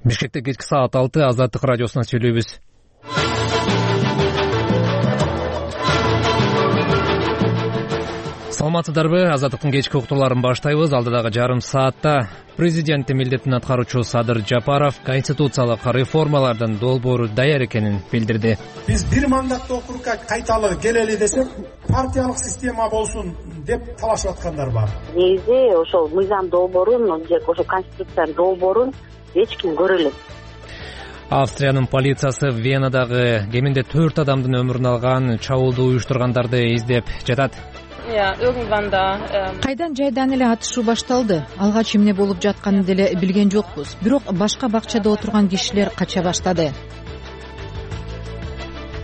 Бишкекте кечки саат 6 Азаттык радиосунан сүйлөйбүз. Саламатсыздарбы? Азаттыктын кечки уктууларын баштайбыз. Алдыдагы жарым саатта президенттин милдетин аткаруучу Садыр Жапаров конституциялык реформалардын долбоору даяр экенин билдирди. Биз бир мандаттуу округга кайталы келели десек, партиялык система болсун деп талашып аткандар бар. Негизи ошол мыйзам долбоорун же ошол конституциянын долбоорун эч ким көрө элек. Австриянын полициясы Венадагы кеминде 4 адамдын өмүрүн алган чабуулду уюштургандарды издеп жатат. Кайдан жайдан эле атышуу башталды. Алгач эмне болуп жатканын деле билген жокпуз. Бирок башка бакчада отурган кишилер кача баштады.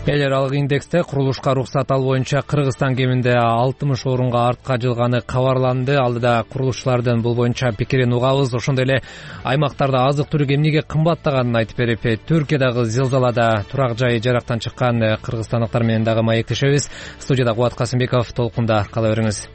Эл аралык индексте курулушка уруксат алуу боюнча Кыргызстан кеминде 60 орунга артка жылганы кабарланды. Алдыда курулушчулардын бул боюнча пикирин угабыз. Ошондой эле аймактарда азык-түлүк эмнеге кымбаттаганын айтып берип, Түркиядагы зилзалада турак жайы жарактан чыккан кыргызстандыктар менен дагы маектешебиз. Студияда Кубат Касымбеков, толкунда кала бериңиз.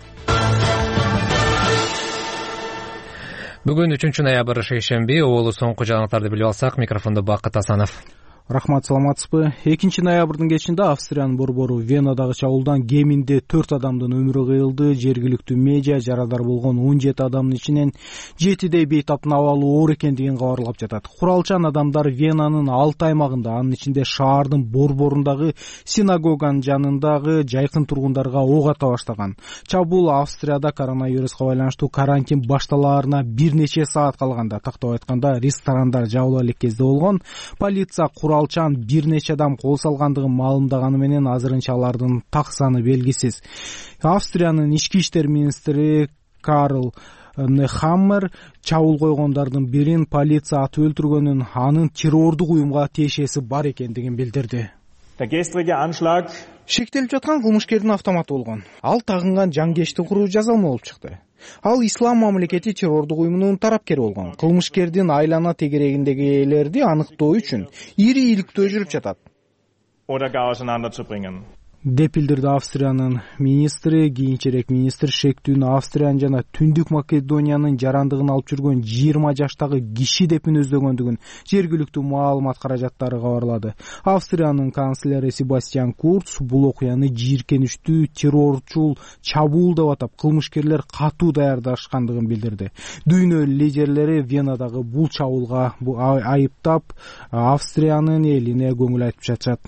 Бүгүн 3-ноябрь шейшемби. Оолу соңку жаңылыктарды билип алсак, микрофондо Бакыт Асанов. Рахмат, саламатсызбы? 2-ноябрдын кечинде Австриянын борбору Венадагы чабуулдан кеминде 4 адамдын өмүрү кыйылды. Жергиликтүү медиа жарадар болгон 17 адамдын ичинен 7 бейтаптын абалы оор экендигин кабарлап жатат. Куралчан адамдар Венанын 6 аймагында, анын ичинде шаардын борборундагы синагоганын жанындагы жайкын тургундарга ок ата баштаган. Чабуул Австрияда коронавируска байланыштуу карантин башталаарына бир нече саат калганда, тактап айтканда ресторандар жабыла элек кезде болгон. Полиция куралчан бир нече адам кол салгандыгын маалымдаганы менен азырынча алардын так саны белгисиз. Австриянын ички иштер министри Карл Нехаммер чабуул койгондордун бирин полиция атып өлтүргөнүн, анын террордук уюмга тиешеси бар экендигин билдирди. Шектелип жаткан кылмышкердин автоматы болгон. Ал тагынган жангечти куруу жазалма болуп чыкты. Ал ислам мамлекети террордук уюмунун тарапкери болгон. Кылмышкердин айлана тегерегиндегилерди аныктоо үчүн ири иликтөө жүрүп жатат деп билдирди Австриянын министри. Кийинчерээк министр шектүүнү Австриянын жана Түндүк Македониянын жарандыгын алып жүргөн 20 жаштагы киши деп мүнөздөгөндүгүн жергиликтүү маалымат каражаттары кабарлады. Австриянын канцлери Себастьян Курц бул окуяны жийиркеничтүү террорчул чабуул деп атап, кылмышкерлер катуу даярдашкандыгын билдирди. Дүйнө лидерлери Венадагы бул чабуулга айыптап, Австриянын элине көңүл айтып жатышат.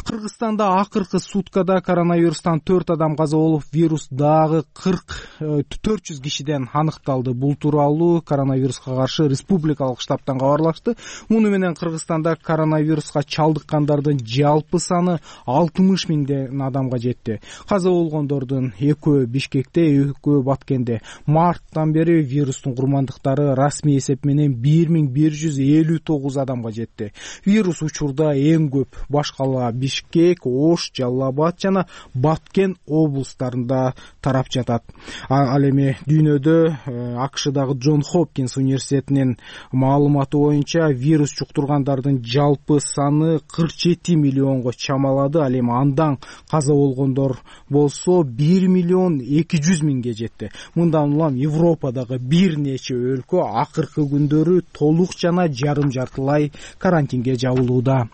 Кыргызстанда акыркы суткада коронавирустан 4 адам каза болуп, вирус дагы 400 кишиден аныкталды. Бул тууралуу коронавируска каршы республикалык штабтан кабарлашты. Муну менен Кыргызстанда коронавируска чалдыккандардын жалпы саны 60 миңден адамга жетти. Каза болгондордун 2 Бишкекте, 2 Баткенде. Марттан бери вирустун курмандыктары расмий эсеп менен 1159 адамга жетти. Вирус учурда эң көп башкала Бишкек, Ош, Жалал-Абад жана Баткен облустарында тарап жатат. Ал эми дүйнөдө АКШдагы Джон Хопкинс университетинин маалыматы боюнча вирус жуктургандардын жалпы саны 47 миллионго чамалады. Ал эми андан каза болгондор болсо 1 миллион 200 миңге жетти. Мындан улам Европадагы бир нече өлкө акыркы күндөрү толук жана жарым жартылай карантинге жабылууда.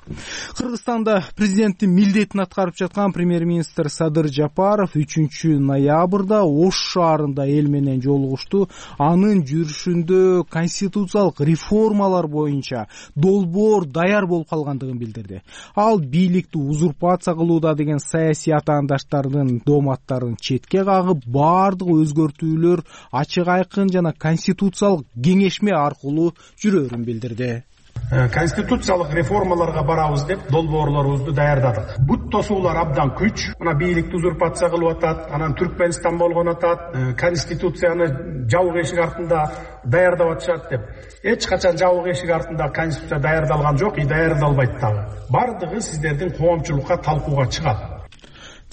Кыргызстанда президенттин милдетин аткарып жаткан премьер-министр Садыр Жапаров 3-ноябрда Ош шаарында эл менен жолугушту. Анын жүрүшүндө конституциялык реформалар боюнча долбоор даяр болуп калгандыгын билдирди. Ал бийликти узурпация кылууда деген саясий атаандаштардын дооматтарын четке кагып, бардык өзгөртүүлөр ачык айкын жана конституциялык кеңешме аркылуу жүрөрүн билдирди. Конституциялык реформаларга барабыз деп долбоорлорубузду даярдадык. Бут тосуулар абдан күч. Мына бийликти узурпация кылып атат, анан Түркмөнстан болгон атат, конституцияны жабык эшик артында даярдап атышат деп. Эч качан жабык эшик артында конституция даярдалган жок, даярдалбайт дагы. Бардыгы сиздердин коомчулукка талкууга чыгат.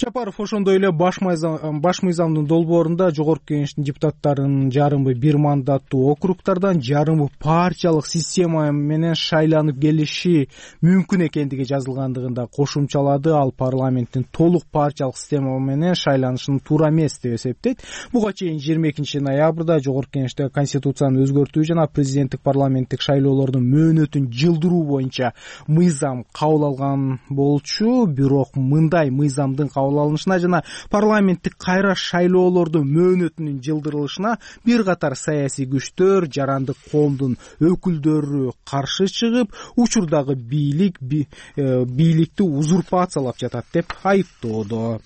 Жапаров ошондой эле баш мыйзамдын долбоорунда Жогорку Кеңештин депутаттарынын жарымы бир мандаттуу округдардан, жарымы партиялык система менен шайланып келиши мүмкүн экендиги жазылгандыгын да кошумчалады. Ал парламенттин толук партиялык система менен шайланышын туура эмес деп эсептейт. Буга чейин 22 ноябрда Жогорку Кеңеште конституцияны өзгөртүү жана президенттик парламенттик шайлоолордун мөөнөтүн жылдыруу боюнча мыйзам кабыл алган болчу. Бирок мындай мыйзамдын кабыл алынышына жана парламенттик кайра шайлоолордун мөөнөтүнүн жылдырылышына бир катар саясий күчтөр, жарандык коомдун өкүлдөрү каршы чыгып, учурдагы бийликти узурпациялап жатат деп айыптоодо.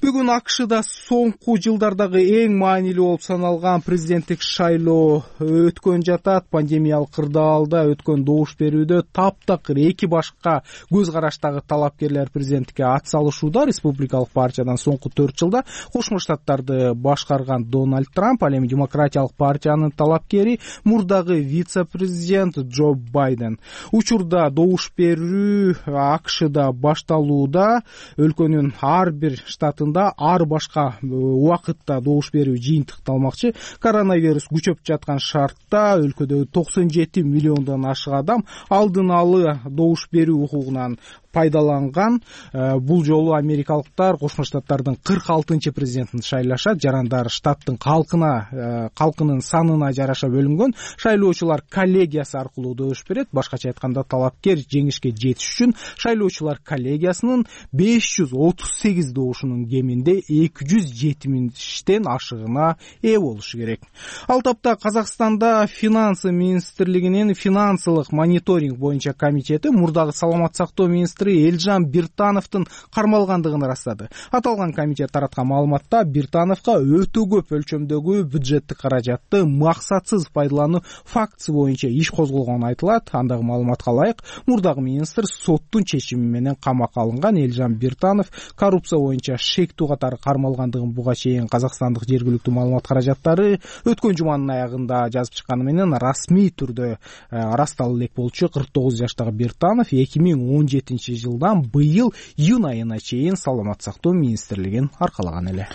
Бүгүн АКШда соңку жылдардагы эң маанилүү болуп саналган президенттик шайлоо өткөн жатат. Пандемиялык кырдаалда өткөн добуш берүүдө таптакыр эки башка көз караштагы талапкерлер президенттикке ат салышууда. Республикалык партиядан соңку 4 жылда Кошмо Штаттарды башкарган Дональд Трамп, ал эми Демократиялык партиянын талапкери мурдагы вице-президент Джо Байден. Учурда добуш берүү АКШда башталууда. Өлкөнүн ар бир штатында ар башка убакытта добуш берүү жыйынтыкталмакчы. Коронавирус күчөп жаткан шартта өлкөдөгү 97 миллиондон ашык адам алдын алы добуш берүү укугунан пайдаланган. Бул жолу америкалыктар Кошмо Штаттардын 46-чы президентин шайлашат. Жарандар штаттын калкынын санына жараша бөлүнгөн. Шайлоочулар коллегиясы аркылуу добуш берет. Башкача айтканда, талапкер жеңишке жетиш үчүн шайлоочулар коллегиясынын 538 добушунун кеминде 270-тен ашыгына ээ болушу керек. Ал тапта Казакстанда Финансы министрлигинин финансылык мониторинг боюнча комитети мурдагы саламат сактоо министри Элжан Биртановдун кармалгандыгын ырастады. Аталган комитет тараткан маалыматта Биртановго өтө көп өлчөмдөгү бюджеттик каражатты максатсыз пайдалануу фактысы боюнча иш козголгону айтылат. Андагы маалыматка ылайык, мурдагы министр соттун чечими менен камакка алынган. Элжан Биртанов коррупция боюнча шектүү катары кармалгандыгын буга чейин казакстандык жергиликтүү маалымат каражаттары өткөн жуманын аягында жазып чыкканы менен расмий түрдө ырасталуу элек болчу. 49 жаштагы Биртанов 2017 жылдан быйыл июнь айына чейин саламат сактоо министрлигин аркалаган эле.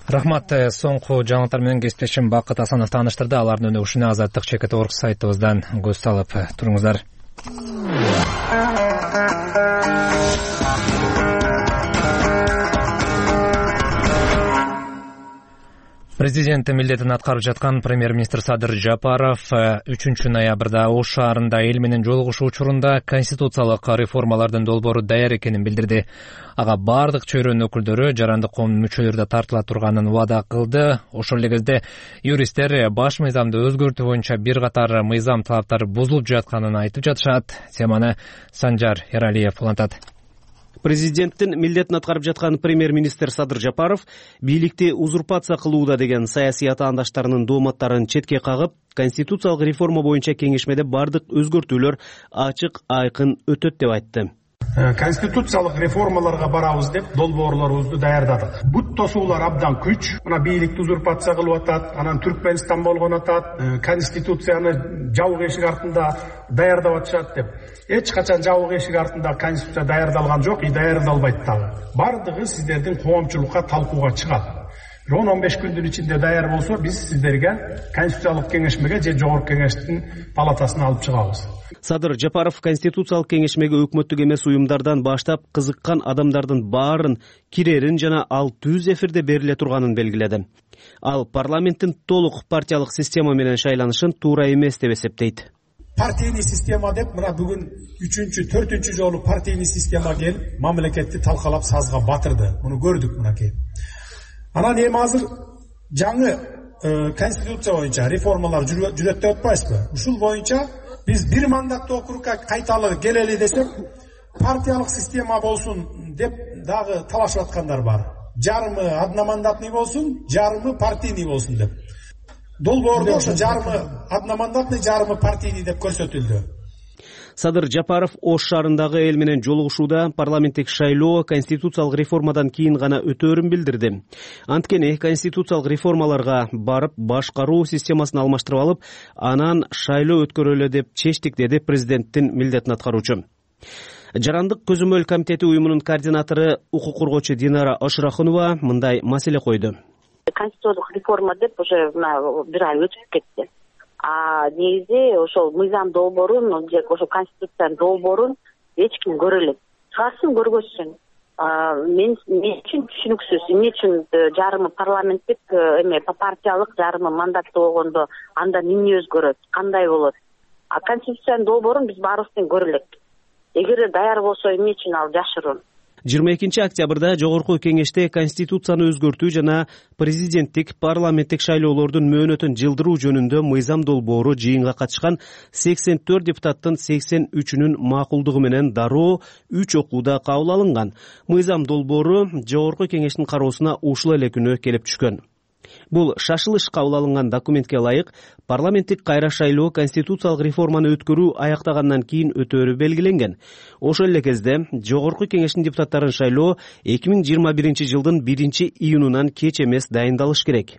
Рахмат. Соңку жаңылыктар менен кесиптешим Бакыт Асанов тааныштырды. Алардын өнөгүшүнө Азаттык ЧКТ.org сайтыбыздан көз салып туруңуздар. Президент милдетин аткарып жаткан премьер-министр Садыр Жапаров 3 ноябрда Ош шаарында эл менен жолугушуу учурунда конституциялык реформалардын долбоору даяр экенин билдирди. Ага бардык чөйрөнүн өкүлдөрү, жарандык коомдун мүчөлөрү да тартыла турганын убада кылды. Ошол эле кезде юристтер баш мыйзамды өзгөртүү боюнча бир катар мыйзам талаптары бузулуп жатканын айтып жатышат. Теманы Санжар Эралиев улантат. Президенттин милдетин аткарып жаткан премьер-министр Садыр Жапаров бийликти узурпация кылууда деген саясий атаандаштарынын дооматтарын четке кагып, конституциялык реформа боюнча кеңешмеде бардык өзгөртүүлөр ачык, айкын өтөт деп айтты. Конституциялык реформаларга барабыз деп долбоорлорубузду даярдадык. Бут тосуулар абдан күч. Мына бийликти узурпация кылып атат, анан Түркмөнстан болгон атат, конституцияны жабык эшик артында даярдап атышат деп. Эч качан жабык эшик артында конституция даярдалган жок, даярдалбайт дагы. Бардыгы сиздердин коомчулукка талкууга чыгат. 10-15 күндүн ичинде даяр болсо, биз сиздерге конституциялык кеңешмеге же Жогорку Кеңештин палатасына алып чыгабыз. Садыр Жапаров конституциялык кеңешмеге өкмөттүк эмес уюмдардан баштап кызыккан адамдардын баарын кирерин жана ал түз эфирде бериле турганын белгиледи. Ал парламенттин толук партиялык система менен шайланышын туура эмес деп эсептейт. Партийный система деп мына бүгүн 3-4 жолу партийный система келип мамлекетти талкалап сазга батырды. Муну көрдүк мынакей. Анан эми азыр жаңы конституция боюнча реформалар жүрөт деп атпайсызбы? Ушул боюнча биз бир мандаттуу округга кайталы келели десек, партиялык система болсун деп дагы талашып аткандар бар. Жарымы одномандатный болсун, жарымы партийный болсун деп. Долбоордо ошо жарымы одномандатный, жарымы партийный деп көрсөтүлдү. Садыр Жапаров Ош шаарындагы эл менен жолугушууда парламенттик шайлоо конституциялык реформадан кийин гана өтөөрүн билдирди. Анткени конституциялык реформаларга барып башкаруу системасын алмаштырып алып, анан шайлоо өткөрөлө деп чечтик, деди президенттин милдетин аткаруучу. Жарандык көзөмөл комитети уюмунун координатору укук коргоочу Динара Ашырахунова мындай маселе койду. Конституциялык реформа деп уже бир ай өтүп кетти. Негизи ошол мыйзам долбоорун же ошо конституциянын долбоорун эч ким көрө элек. Чыгарсын, көргөзсүн. Мен үчүн түшүнүксүз. Эмне үчүн жарымы парламенттик партиялык, жарымы мандаттуу болгондо анда эмне өзгөрөт, кандай болот? Конституциянын долбоорун биз баарыбыз тең көрө элек. Эгер даяр болсо эмне үчүн ал жашыруун? 22 октябрда Жогорку кеңеште конституцияны өзгөртүү жана президенттик, парламенттик шайлоолордун мөөнөтүн жылдыруу жөнүндө мыйзам долбоору жыйынга катышкан 84 депутаттын 83-үнүн макулдугу менен дароо 3 окууда кабыл алынган. Мыйзам долбоору Жогорку кеңештин кароосуна ушул эле күнү келип түшкөн. Бул шашылыш кабыл алынган документке ылайык парламенттик кайра шайлоо конституциялык реформаны өткөрүү аяктагандан кийин өтөөрү белгиленген. Ошол эле кезде Жогорку кеңештин депутаттарын шайлоо 2021 жылдын 1-июнунан кеч эмес дайындалыш керек.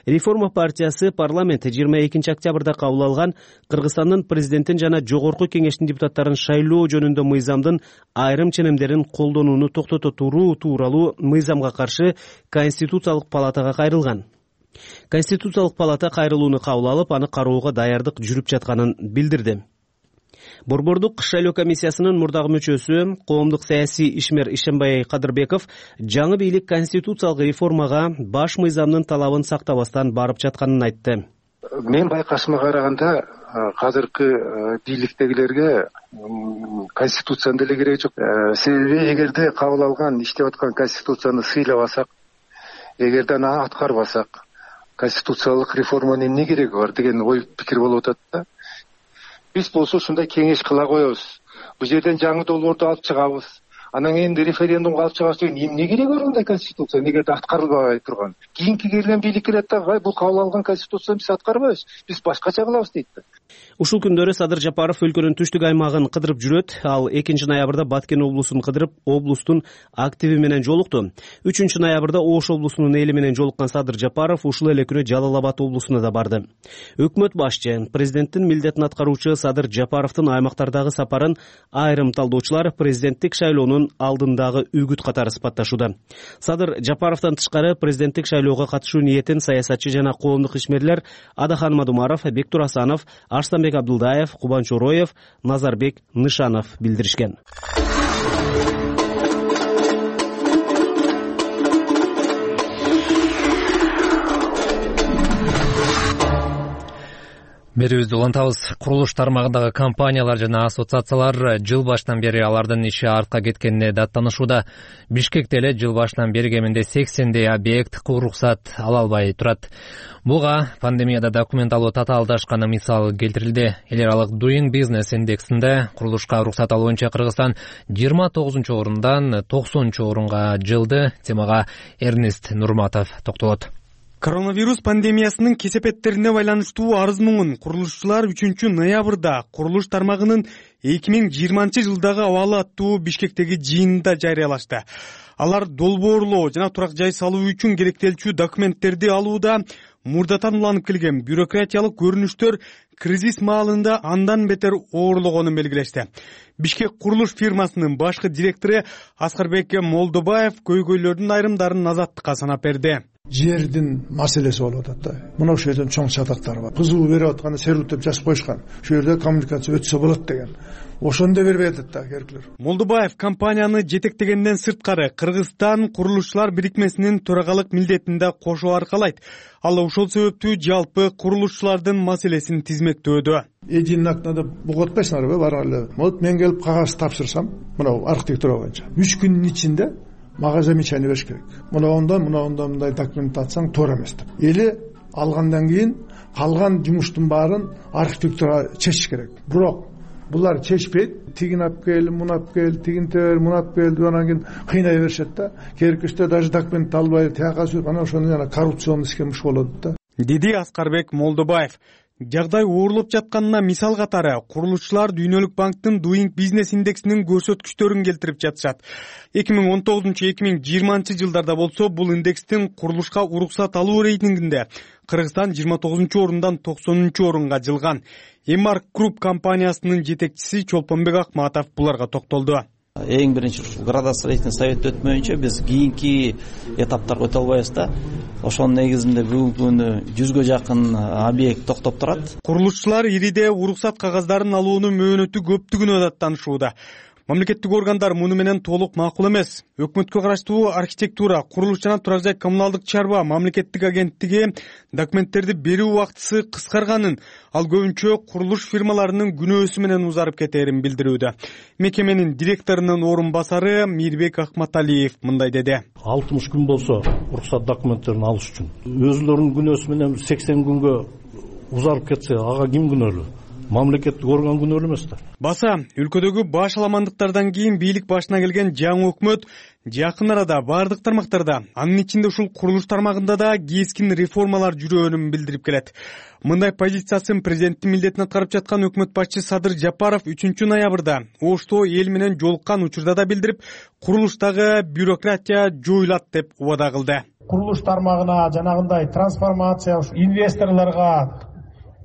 Реформа партиясы парламент 22 октябрда кабыл алган Кыргызстандын президентин жана Жогорку кеңештин депутаттарын шайлоо жөнүндө мыйзамдын айрым ченемдерин колдонууну токтото туруу тууралуу мыйзамга каршы Конституциялык палатага кайрылган. Конституциялык палата кайрылууну кабыл алып, аны кароого даярдык жүрүп жатканын билдирди. Борбордук шайлоо комиссиясынын мурдагы мүчөсү, коомдук саясий ишмер Ишембай Кадырбеков жаңы бийлик конституциялык реформага баш мыйзамдын талабын сактабастан барып жатканын айтты. Мен байкашыма караганда азыркы бийликтегилерге конституциянын деле кереги жок. Себеби эгерде кабыл алган иштеп аткан конституцияны сыйлабасак, эгерде аны аткарбасак, конституциялык реформанын эмне кереги бар деген ой пикир болуп атат да. Биз болсо ушундай кеңеш кыла коебуз. Бул жерден жаңы долбоорду алып чыгабыз. Анан кийин референдумга алып чыгабыз деген эмне кереги бар андай конституция? Эгерде аткарылбай турган. Кийинки келген бийлик келет да, бул кабыл алган конституцияны биз аткарбайбыз. Биз башкача кылабыз дейт да. Ушул күндөрү Садыр Жапаров өлкөнүн түштүк аймагын кыдырып жүрөт. Ал 2 ноябрда Баткен облусун кыдырып, облустун активи менен жолукту. 3 ноябрда Ош облусунун эли менен жолуккан Садыр Жапаров ушул эле күнү Жалал Абад облусуна да барды. Өкмөт башчы, президенттин милдетин аткаруучу Садыр Жапаровдун аймактардагы сапарын айрым талдоочулар президенттик шайлоонун алдындагы үгүт катары сыпатташууда. Садыр Жапаровдон тышкары президенттик шайлоого катышуу ниетин саясатчы жана коомдук ишмерлер Адахан Мадумаров, Бектур Асанов, Арстанбек Абдулдаев, Кубан Чороев, Назарбек Нышанов билдиришкен. Берүүбүздү улантабыз. Курулуш тармагындагы компаниялар жана ассоциациялар жыл башынан бери алардын иши артка кеткенине даттанышууда. Бишкекте эле жыл башынан бери кеминде 80 объект уруксат ала албай турат. Буга пандемияда документ алуу татаалдашканы мисал келтирилди. Эл аралык Doing Business индексинде курулушка уруксат алуу боюнча Кыргызстан 29-орундан 90-орунга жылды. Темага Эрнест Нурматов токтолот. Коронавирус пандемиясынын кесепеттерине байланыштуу арыз муңун курулушчулар 3 ноябрда курулуш тармагынын 2020 жылдагы абалы аттуу Бишкектеги жыйынында жарыялашты. Алар долбоорлоо жана турак жай салуу үчүн керектелчү документтерди алууда мурдатан уланып келген бюрократиялык көрүнүштөр кризис маалында андан бетер оорлогонун белгилешти. Бишкек курулуш фирмасынын башкы директору Аскарбек Молдобаев көйгөйлөрдүн айрымдарын Азаттыкка санап берди. Жердин маселеси болуп атат да. Мына ошол жерден чоң чатактар бар. Кызуу берип атканда серуттеп жазып коюшкан. Ошол жерде коммуникация өтсө болот деген. Ошону да бербей атат да керклер. Молдобаев компанияны жетектегенден сырткары Кыргызстан курулушчулар бирикмесинин төрагалык милдетинде кошо аркалайт. Ал ошол себептүү жалпы курулушчулардын маселесин тизмектөөдө. Единый окнада бугатпайсыңарбы барып эле. Вот мен келип кагаз тапшырсам, мына архитектура боюнча 3 күндүн ичинде мага замечание бериш керек. Мындай мындай документацияң туура эмес деп. Эли алгандан кийин калган жумуштун баарын архитектура чечиш керек. Бирок булар чечпейт. Тигин алып кел, муну алып кел, тигин тер, муну алып кел деп анан кийин кыйнай беришет да. Керекичте даже документ албай, тияка сүрүп, анан ошону жана коррупционный схема болот да. Деди Аскарбек Молдобаев. Жагдай оорлоп жатканына мисал катары курулушчулар Дүйнөлүк банктын Doing Business индексинин көрсөткүчтөрүн келтирип жатышат. 2019-2020 жылдарда болсо бул индекстин курулушка уруксат алуу рейтингинде Кыргызстан 29 орундан 90 орунга жылган. Embark Group компаниясынын жетекчиси Чолпонбек Акматов буларга токтолду. Эң биринчи градостроительный совет өтмөйүнчө биз кийинки этаптарга өтө албайбыз да. Ошонун негизинде бүгүнкү күнү 100гө жакын объект токтоп турат. Курулушчулар ириде уруксат кагаздарын алуунун мөөнөтү көптүгүнө даттанышууда. Мамлекеттик органдар муну менен толук макул эмес. Өкмөткө караштуу архитектура, курулуш жана турак жай коммуналдык чарба мамлекеттик агенттиги документтерди берүү убактысы кыскарганын, ал көбүнчө курулуш фирмаларынын күнөөсү менен узарып кетээрин билдирүүдө. Мекеменин директорунун орун басары Мирбек Акматалиев мындай деди. 60 күн болсо уруксат документтерин алыш үчүн өзүлөрүнүн күнөөсү менен 80 күнгө узарып кетсе, ага ким күнөөлүү? Мамлекеттик орган күнөөлүү эмес да. Баса, өлкөдөгү баш аламандыктардан кийин бийлик башына келген жаңы өкмөт жакын арада бардык тармактарда, анын ичинде ушул курулуш тармагында да кескин реформалар жүрөөнүн билдирип келет. Мындай позициясын президенттин милдетин аткарып жаткан өкмөт башчысы Садыр Жапаров 3 ноябрда Ошто эл менен жолуккан учурда да билдирип, курулуштагы бюрократия жоюлат деп убада кылды. Курулуш тармагына жанагындай трансформация, инвесторлорго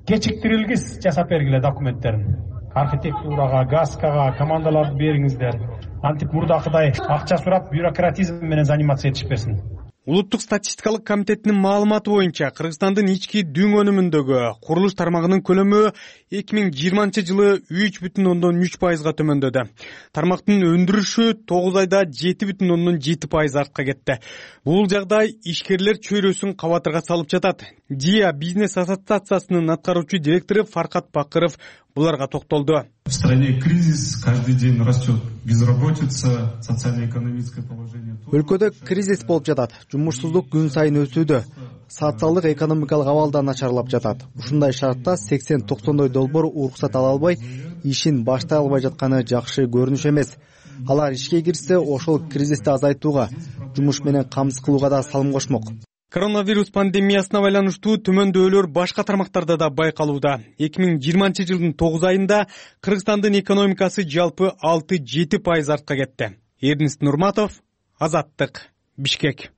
кечиктирилгис жасап бергиле документтерин. Архитектурага, ГАСКага командаларды бериңиздер. Антип мурдакыдай акча сурап бюрократизм менен заниматься этишпесин. Улуттук статистикалык комитетинин маалыматы боюнча Кыргызстандын ички дүң өнүмүндөгү курулуш тармагынын көлөмү 2020 жылы 3,3% төмөндөдү. Тармактын өндүрүшү 9 айда 7,7% артка кетти. Бул жагдай ишкерлер чөйрөсүн кабатырга салып жатат. ДИА бизнес ассоциациясынын аткаруучу директору Фаркат Бакыров буларга токтолду. В стране кризис, каждый день растет безработица, социально-экономическое положение. Өлкөдө кризис болуп жатат. Жумушсуздук күн сайын өсүүдө. Социалдык экономикалык абал да начарлап жатат. Ушундай шартта 80-90 долбоор уруксат ала албай, ишин баштай албай жатканы жакшы көрүнүш эмес. Алар ишке кирсе, ошол кризисти азайтууга, жумуш менен камсыз кылууга да салым кошмок. Коронавирус пандемиясына байланыштуу төмөндөөлөр башка тармактарда да байкалууда. 2020 жылдын 9 айында Кыргызстандын экономикасы жалпы 6-7% артка кетти. Эрнест Нурматов, Азаттык, Бишкек.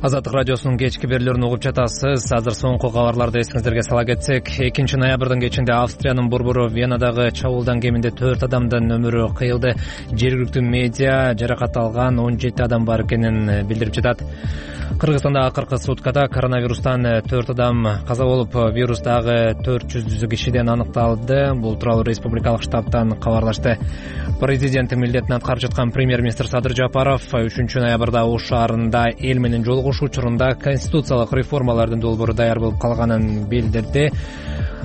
Азаттык радиосунун кечки берүүлөрүн угуп жатасыз. Азыр соңку кабарларды эсиңиздерге сала кетсек, 2 ноябрдын кечинде Австриянын борбору Венадагы чабуулдан кеминде 4 адамдын өмүрү кыйылды. Жергиликтүү медиа жаракат алган 17 адам бар экенин билдирип жатат. Кыргызстанда акыркы суткада коронавирустан 4 адам каза болуп, вирус дагы 400 кишиден аныкталды. Бул тууралуу республикалык штабтан кабарлашты. Президенттин милдетин аткарып жаткан премьер-министр Садыр Жапаров 3 ноябрда Ош шаарында эл менен жолугушуу учурунда конституциялык реформалардын долбоору даяр болуп калганын билдирди.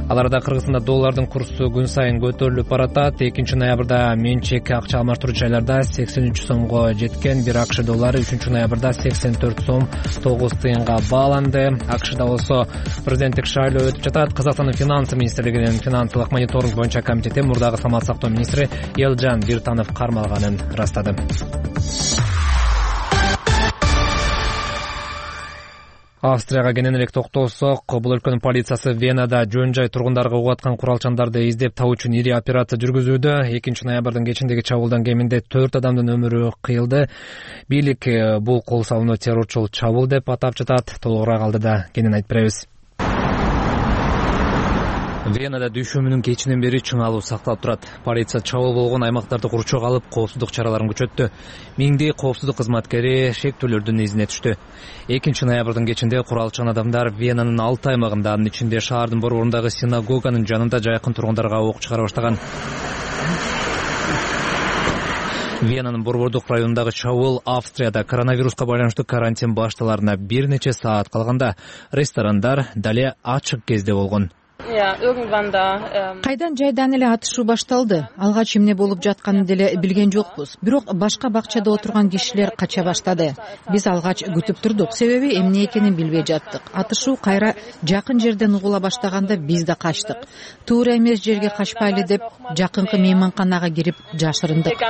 Аларда Кыргызстанда доллардын курсу күн сайын көтөрүлүп баратат. 2 ноябрда менчек акча алмаштыруу жайларда 83 сомго жеткен. Бир АКШ доллары 3 ноябрда 84 сом 9 тыйынга бааланды. АКШда болсо президенттик шайлоо өтүп жатат. Казакстандын финанс министрлигинин финансылык мониторинг боюнча комитети мурдагы саламат сактоо министри Элжан Биртанов кармалганын ырастады. Австрияга кенен элек токтолсок, бул өлкөнүн полициясы Венада жөн жай тургундарга угуп аткан куралчандарды издеп табуу үчүн ири операция жүргүзүүдө. 2 ноябрдын кечиндеги чабуулдан кеминде 4 адамдын өмүрү кыйылды. Бийлик бул кол салууну террорчул чабуул деп атап жатат. Толугураак алдыда кенен айтып беребиз. Венада дүйшөмүнүн кечинен бери чыңалуу сакталып турат. Полиция чабуул болгон аймактарды курчок алып, коопсуздук чараларын күчөттү. Миңдей коопсуздук кызматкери шектүүлөрдүн изине түштү. 2 ноябрдын кечинде куралчан адамдар Венанын 6 аймагында, анын ичинде шаардын борборундагы синагоганын жанында жайкын тургундарга ок чыгара баштаган. Венанын борбордук районундагы чабуул Австрияда коронавируска байланыштуу карантин башталарына бир нече саат калганда ресторандар дале ачык кезде болгон. Кайдан жайдан эле атышуу башталды. Алгач эмне болуп жатканын деле билген жокпуз. Бирок башка бакчада отурган кишилер кача баштады. Биз алгач күтүп турдук, себеби эмне экенин билбей жаттык. Атышуу кайра жакын жерден угула баштаганда биз да качтык. Туура эмес жерге качпайлы деп жакынкы мейманканага кирип жашырындык.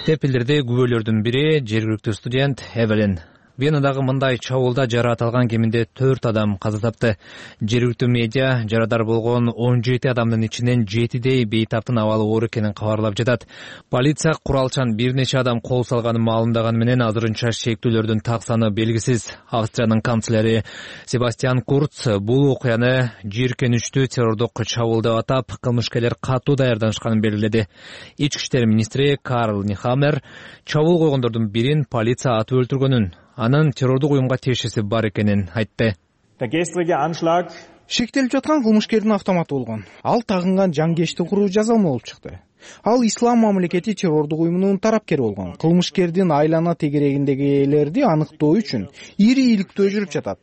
Деп билдирди күбөлөрдүн бири жергиликтүү студент Эвелин Венадагы мындай чабуулда жараат алган кеминде 4 адам каза тапты. Жергиликтүү медиа жарадар болгон 17 адамдын ичинен 7 бейтаптын абалы оор экенин кабарлап жатат. Полиция куралчан бир нече адам кол салганын маалымдаганы менен азырынча шектүүлөрдүн так саны белгисиз. Австриянын канцлери Себастьян Курц бул окуяны жийиркеничтүү террордук чабуул деп атап, кылмышкерлер катуу даярданышканын белгиледи. Ички иштер министри Карл Нихаммер чабуул койгондордун бирин полиция атып өлтүргөнүн, анын террордук уюмга тиешеси бар экенин айтты. Шектелип жаткан кылмышкердин автоматы болгон. Ал тагынган жангечти куруу жазалма болуп чыкты. Ал ислам мамлекети террордук уюмунун тарапкери болгон. Кылмышкердин айлана тегерегиндегилерди аныктоо үчүн ири иликтөө жүрүп жатат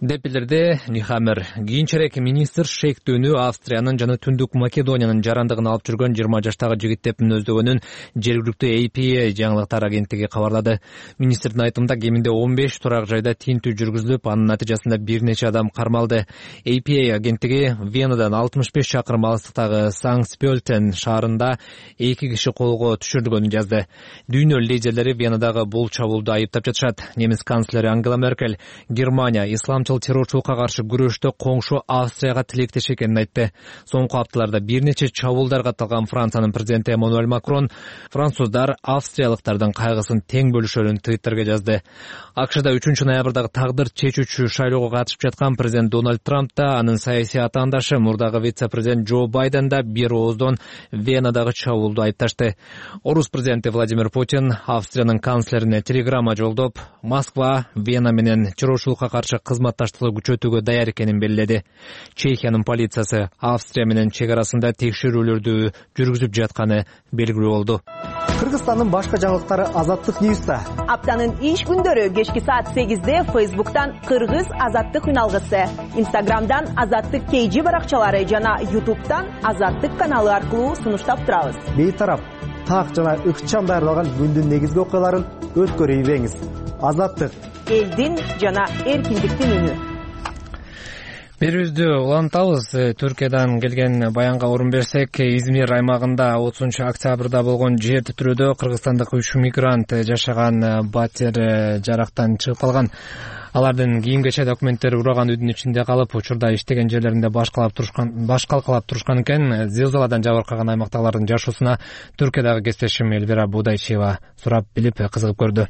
деп билдирди Нихаммер. Кийинчерээк министр шектүүнү Австриянын жана Түндүк Македониянын жарандыгын алып жүргөн 20 жаштагы жигит деп мүнөздөгөнүн жергиликтүү APA жаңылыктар агенттиги кабарлады. Министрдин айтымында кеминде 15 турак жайда тинтүү жүргүзүлүп, анын натыйжасында бир нече адам кармалды. APA агенттиги Венадан 65 чакырым алыстыктагы Санкт-Пёльтен шаарында 2 киши колго түшүрүлгөнүн жазды. Дүйнө лидерлери Венадагы бул чабуулду айыптап жатышат. Немис канцлери Ангела Меркель Германия исламчыл террорчулукка каршы күрөштө коңшу Австрияга тилектеш экенин айтты. Соңку апталарда бир нече чабуулдар катталган Франциянын президенти Эммануэль Макрон француздар австриялыктардын кайгысын тең бөлүшөрүн Твиттерге жазды. АКШда 3 ноябрдагы тагдыр чечүүчү шайлоого катышып жаткан президент Дональд Трамп да, анын саясий атаандашы мурдагы вице-президент Джо Байден да бир ооздон Венадагы чабуулду айыпташты. Орус президенти Владимир Путин Австриянын канцлерине телеграмма жолдоп, Москва Вена менен террорчулукка каршы кызматташтыкты күчөтүүгө даяр экенин белгиледи. Чехиянын полициясы Австрия менен чек арасында текшерүүлөрдү жүргүзүп жатканы белгилүү болду. Кыргызстандын башка жаңылыктары Азаттык Ньюста. Аптанын иш күндөрү кечки саат 8-де Facebook'tan Кыргыз Азаттык үналгысы, Instagram'dan Азаттык KG баракчалары жана YouTube'дан Азаттык каналы аркылуу сунуштап турабыз. Бейтарап, так жана ыкчам даярдалган күндүн негизги окуяларын өткөрүп ийбеңиз. Азаттык элдин жана эркиндиктин үнү. Берүүбүздү улантабыз. Түркиядан келген баянга орун берсек, Измир аймагында 30-октябрда болгон жер титирөөдө кыргызстандык 3 мигрант жашаган батир жарактан чыгып калган. Алардын кийимгече документтери ураган үйдүн ичинде калып, учурда иштеген жерлеринде баш калкалап турушкан экен. Зилзаладан жабыркаган аймактагылардын жашоосуна Түркиядагы кесиптешим Элвира Будайчиева сурап билип кызыгып көрдү.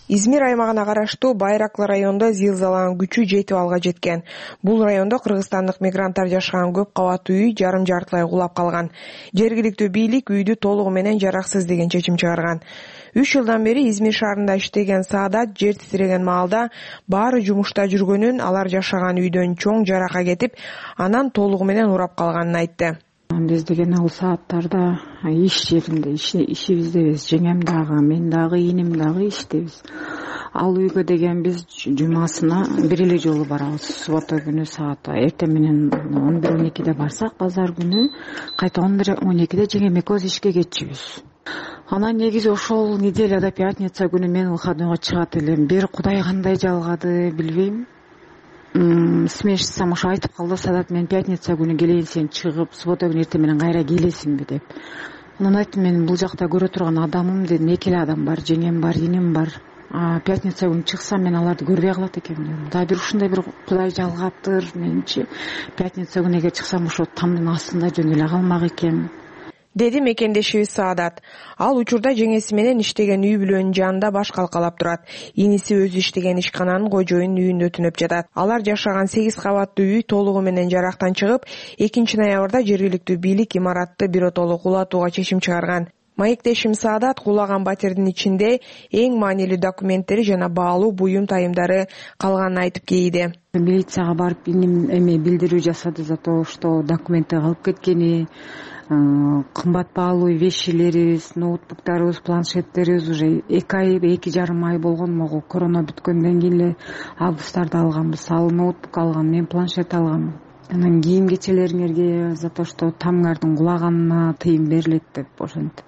Измир аймагына караштуу Байраклы районунда зилзаланын күчү жетип алга жеткен. Бул райондо кыргызстандык мигранттар жашаган көп кабаттуу үй жарым-жартылай кулап калган. Жергиликтүү бийлик үйдү толугу менен жараксыз деген чечим чыгарган. 3 жылдан бери Измир шаарында иштеген Саадат жер титиреген маалда баары жумушта жүргөнүн, алар жашаган үйдөн чоң жарака кетип, анан толугу менен урап калганын айтты. Биз деген ал сааттарда иш жеринде ишибиздебиз. Жеңем дагы, мен дагы, иним дагы иштебиз. Ал үйгө деген биз жумасына бир эле жолу барабыз. Суббота күнү саат эртең менен 11-12-де барсак, базар күнү кайта 11-12-де жеңем экөөбүз ишке кетчүбүз. Анан негизи ошол неделяда пятница күнү мен выходнойго чыгат элем. Бир Кудай кандай жалгады билбейм. Смешсам ошо айтып калды, Садат, мен пятница күнү келейин, сен чыгып, суббота күнү эртең менен кайра келесиңби деп. Анан айттым, мен бул жакта көрө турган адамым дедим, 2 эле адам бар, жеңем бар, иним бар. Пятница күнү чыксам мен аларды көрбөй калат экенмин дедим. Да бир ушундай бир Кудай жалгаптыр менчи. Пятница күнү эгер чыксам ошо тамдын астында жөн эле калмак экен. Деди мекендешибиз Саадат. Ал учурда жеңеси менен иштеген үй бүлөнүн жанында баш калкалап турат. Иниси өзү иштеген ишкананын кожоюнун үйүндө түнөп жатат. Алар жашаган 8 кабаттуу үй толугу менен жарактан чыгып, 2 ноябрда жергиликтүү бийлик имаратты биротоло кулатууга чечим чыгарган. Маектешим Саадат кулаган батирдин ичинде эң маанилүү документтери жана баалуу буюм тайымдары калганын айтып кейиди. Милицияга барып эме билдирүү жасады за то, что документи калып кеткени, кымбат баалуу вещилерибиз, ноутбуктарыбыз, планшеттерибиз уже 2 ай, 2,5 ай болгон. Могу корона бүткөндөн кийин эле августарда алганбыз. Ал ноутбук алган, мен планшет алгам. Анан кийим кечелериңерге за то, что тамыңардын кулаганына тыйым берилет деп ошентип.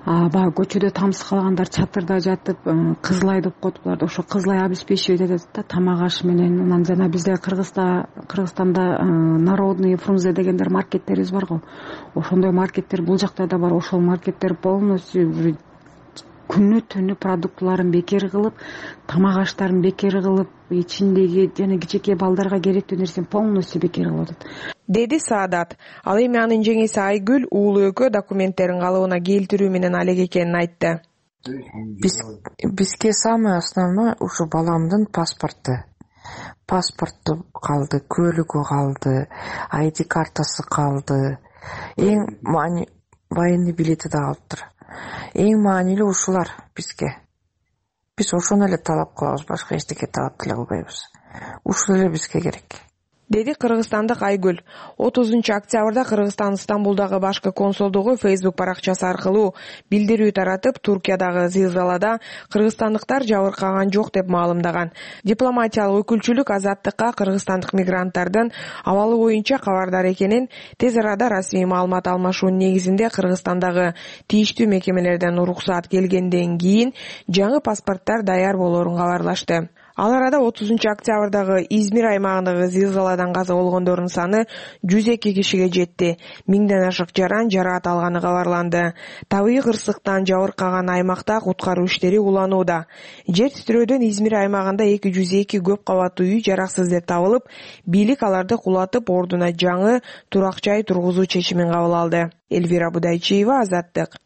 Баягы көчөдө тамсыз калгандар чатырда жатып, кызылай деп коет буларды. Ошо кызылай обеспечивать этет да, тамак аш менен. Анан жана бизде Кыргызстанда народный Фрунзе дегендер маркеттерибиз бар го. Ошондой маркеттер бул жакта да бар. Ошол маркеттер полностью күнү түнү продуктыларын бекер кылып, тамак аштарын бекер кылып, ичиндеги жана кичинекей балдарга керектүү нерсени полностью бекер кылып атат, деди Саадат. Ал эми анын жеңеси Айгүл уулу экөө документтерин калыбына келтирүү менен алек экенин айтты. Бизге самое основное ушу баламдын паспорту калды, көлүгү калды, ID картасы калды, эң военный билети да калыптыр. Эң маанилүү ушулар бизге. Биз ошону эле талап кылабыз, башка эчтеке талап деле кылбайбыз. Ушул эле бизге керек, деди кыргызстандык Айгүл. 30-октябрда Кыргызстан Стамбулдагы башкы консулдугу Facebook баракчасы аркылуу билдирүү таратып, Туркиядагы зилзалада кыргызстандыктар жабыркаган жок деп маалымдаган. Дипломатиялык өкүлчүлүк Азаттыкка кыргызстандык мигранттардын абалы боюнча кабардар экенин, тез арада расмий маалымат алмашуунун негизинде Кыргызстандагы тийиштүү мекемелерден уруксаат келгенден кийин жаңы паспорттар даяр болоорун кабарлашты. Ал арада 30-октябрдагы Измир аймагындагы зилзаладан каза болгондордун саны 102 кишиге жетти. 1000ден ашык жаран жараат алганы кабарланды. Табигый кырсыктан жабыркаган аймакта куткаруу иштери уланууда. Жер титирөөдөн Измир аймагында 202 көп кабаттуу үй жараксыз деп табылып, бийлик аларды кулатып, ордуна жаңы турак жай тургузуу чечимин кабыл алды. Эльвира Будайчиева, Азаттык.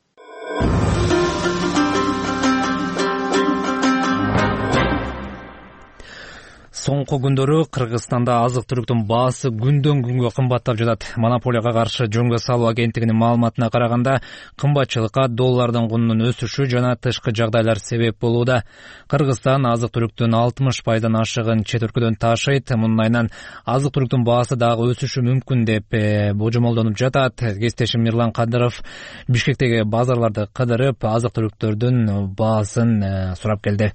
Соңку күндөрү Кыргызстанда азык-түлүктүн баасы күндөн күнгө кымбаттап жатат. Монополияга каршы жөнгө салуу агенттигинин маалыматына караганда, кымбатчылыкка доллардын кунунун өсүшү жана тышкы жагдайлар себеп болууда. Кыргызстан азык-түлүктүн 60% ашыгын чет өлкөдөн ташыйт. Мунун айынан азык-түлүктүн баасы дагы өсүшү мүмкүн деп божомолдонуп жатат. Кесиптешим Мирлан Кадыров Бишкектеги базарларды кыдырып, азык-түлүктөрдүн баасын сурап келди.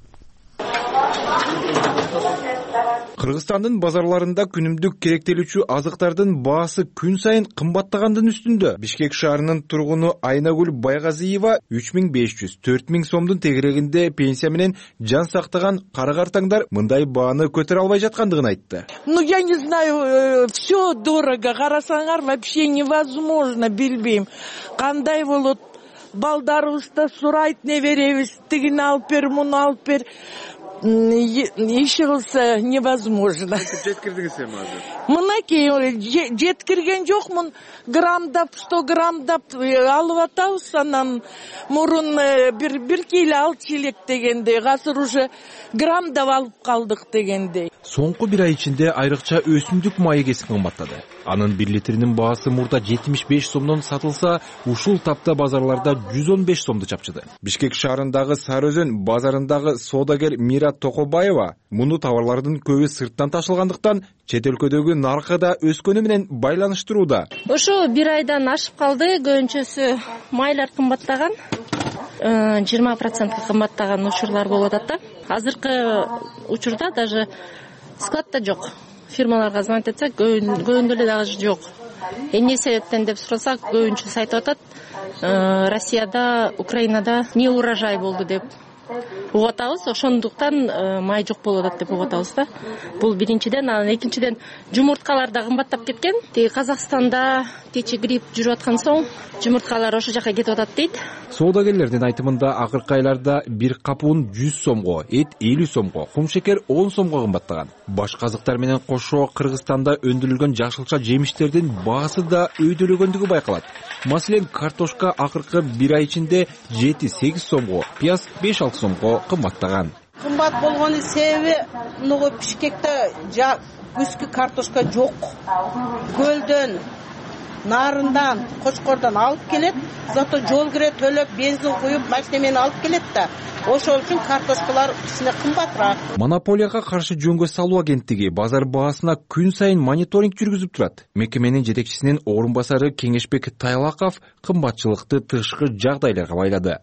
Кыргызстандын базарларында күнүмдүк керектелүүчү азыктардын баасы күн сайын кымбаттагандын үстүндө. Бишкек шаарынын тургуну Айнагүл Байгазиева 3500-4000 сомдун тегерегинде пенсия менен жан сактаган кара-картаңдар мындай бааны көтөрө албай жаткандыгын айтты. Я не знаю, все дорого, карасаңар вообще невозможно, билбейм. Кандай болот, балдарыбызды сурайт, не беребиз, тигини алып бер, муну алып бер. Иши кылса невозможно. Жеткирдиңиз эми азыр? Мынакей жеткирген жокмун, граммдап, 100 граммдап алып атабыз, анан мурун бир кило алчу элек дегенде, азыр уже граммдап алып калдык дегенде. Соңку бир ай ичинде айрыкча өсүмдүк майы кесип кымбаттады. Анын 1 литринин баасы мурда 75 сомдон сатылса, ушул тапта базарларда 115 сомду чапчыды. Бишкек шаарындагы Сары Өзөн базарындагы соодагер Мира Токобаева муну товарлардын көбү сырттан ташылгандыктан чет өлкөдөгү наркы да өскөнү менен байланыштырууда. Ошо бир айдан ашып калды, көбүнчөсү майлар кымбаттаган. 20% кымбаттаган учурлар болуп атат да. Азыркы учурда даже складда жок. Фирмаларга звонить этсек, көбүндө эле дагы жок. Эмне себептен деп сурасак, көбүнчөсү айтып атат, Россияда, Украинада не урожай болду деп угуп атабыз. Ошондуктан май жок болуп атат деп угуп атабыз да. Бул биринчиден, анан экинчиден жумурткалар да кымбаттап кеткен. Тиги Казакстанда кечи грипп жүрүп аткан соң жумурткалар ошол жака кетип атат дейт. Соодагерлердин айтымында акыркы айларда бир кап ун 100 сомго, эт 50 сомго, кум шекер 10 сомго кымбаттаган. Башка азыктар менен кошо Кыргызстанда өндүрүлгөн жашылча жемиштердин баасы да өйдөлөгөндүгү байкалат. Маселен, картошка акыркы бир ай ичинде 7-8 сомго, пияз 5-6 сомго кымбаттаган. Кымбат болгонун себеби муну Бишкекте күзгү картошка жок. Көлдөн, нарындан, Кочкордон алып келет, зато жол кире төлөп, бензин куюп, машина менен алып келет да. Ошол үчүн картошкалар кичине кымбатыраак. Монополияга каршы жөнгө салуу агенттиги базар баасына күн сайын мониторинг жүргүзүп турат. Мекеменин жетекчисинин орун басары Кеңешбек Тайлаков кымбатчылыкты тышкы жагдайларга байлады.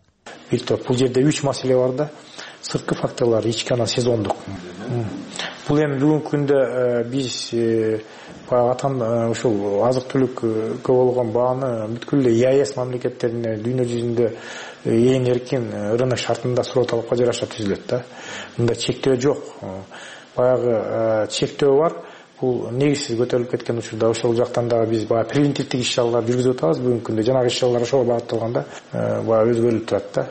Бул жерде 3 маселе бар да. Сырткы факторлор, ички анан сезондук. Бул эми бүгүнкү күндө биз атам ушул азык-түлүккө болгон бааны бүткүл эле ЕАЭС мамлекеттерине дүйнө жүзүндө эң эркин рынок шартында суроо талапка жараша түзүлөт да. Мында чектөө жок. Баягы чектөө бар. Бул негизсиз көтөрүлүп кеткен учурда ошол жактан дагы биз баягы превентивдик иш-чаралар жүргүзүп атабыз. Бүгүнкү күндө жанагы иш-чаралар ошого багытталганда баягы өзгөрүлүп турат да.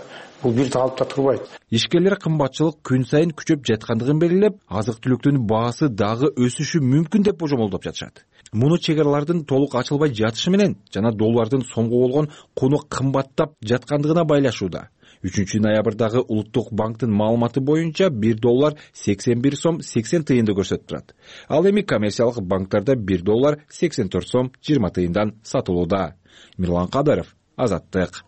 бул бир калыпта турбайт. Ишкерлер кымбатчылык күн сайын күчөп жаткандыгын белгилеп, азык-түлүктүн баасы дагы өсүшү мүмкүн деп божомолдоп жатышат. Муну чек аралардын толук ачылбай жатышы менен жана доллардын сомго болгон куну кымбаттап жаткандыгына байлашууда. 3-ноябрдагы Улуттук банктын маалыматы боюнча $1 81 сом 80 тыйынды көрсөтүп турат. Ал эми коммерциялык банктарда $1 84 сом 20 тыйындан сатылууда. Мирлан Кадаров, Азаттык.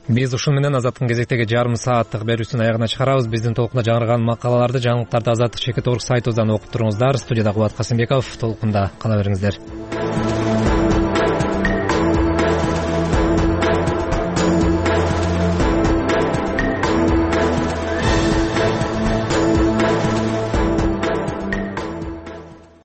Биз ушун менен Азаттыктын кезектеги жарым сааттык берүүсүнүн аягына чыгарабыз. Биздин толкунда жаңырган макалаларды, жаңылыктарды Азаттык чекит.org сайтыбыздан окуп туруңуздар. Студияда Кубат Касымбеков. Толкунда кала бериңиздер.